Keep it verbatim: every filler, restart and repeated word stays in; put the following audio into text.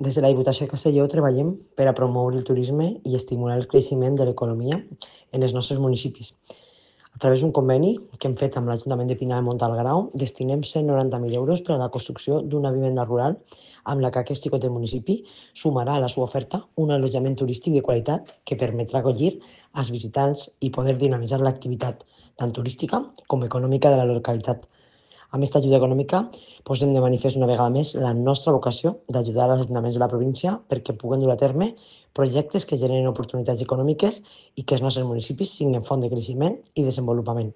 Des de la Diputació de Castelló treballem per a promoure el turisme i estimular el creixement de l'economia en els nostres municipis. A través d'un conveni que hem fet amb l'Ajuntament de Pinar de Montalgrau, destinem cent noranta mil euros per a la construcció d'una vivenda rural amb la que aquest xicot del municipi sumarà a la seva oferta un allotjament turístic de qualitat que permetrà acollir els visitants i poder dinamitzar l'activitat tant turística com econòmica de la localitat. Amb aquesta ajuda econòmica posem de manifest una vegada més la nostra vocació d'ajudar als ajuntaments de la província perquè puguen dur a terme projectes que generen oportunitats econòmiques i que els nostres municipis siguin font de creixement i desenvolupament.